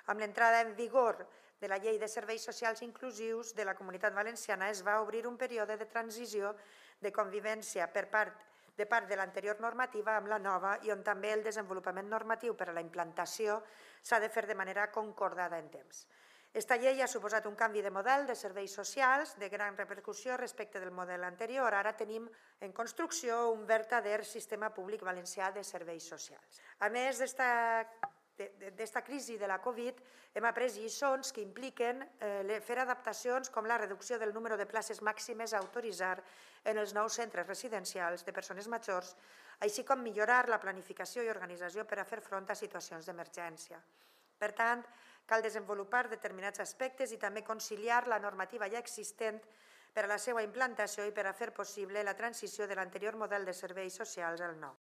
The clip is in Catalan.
Amb l'entrada en vigor de la Llei de Serveis Socials Inclusius de la Comunitat Valenciana es va obrir un període de transició de convivència de part de l'anterior normativa amb la nova i on també el desenvolupament normatiu per a la implantació s'ha de fer de manera concordada en temps. Esta llei ha suposat un canvi de model de serveis socials de gran repercussió respecte del model anterior. Ara tenim en construcció un verdader sistema públic valencià de serveis socials. A més d'esta crisi de la Covid, hem après lliçons que impliquen fer adaptacions com la reducció del número de places màximes a autoritzar en els nous centres residencials de persones majors, així com millorar la planificació i organització per a fer front a situacions d'emergència. Per tant, cal desenvolupar determinats aspectes i també conciliar la normativa ja existent per a la seva implantació i per a fer possible la transició de l'anterior model de serveis socials al nou.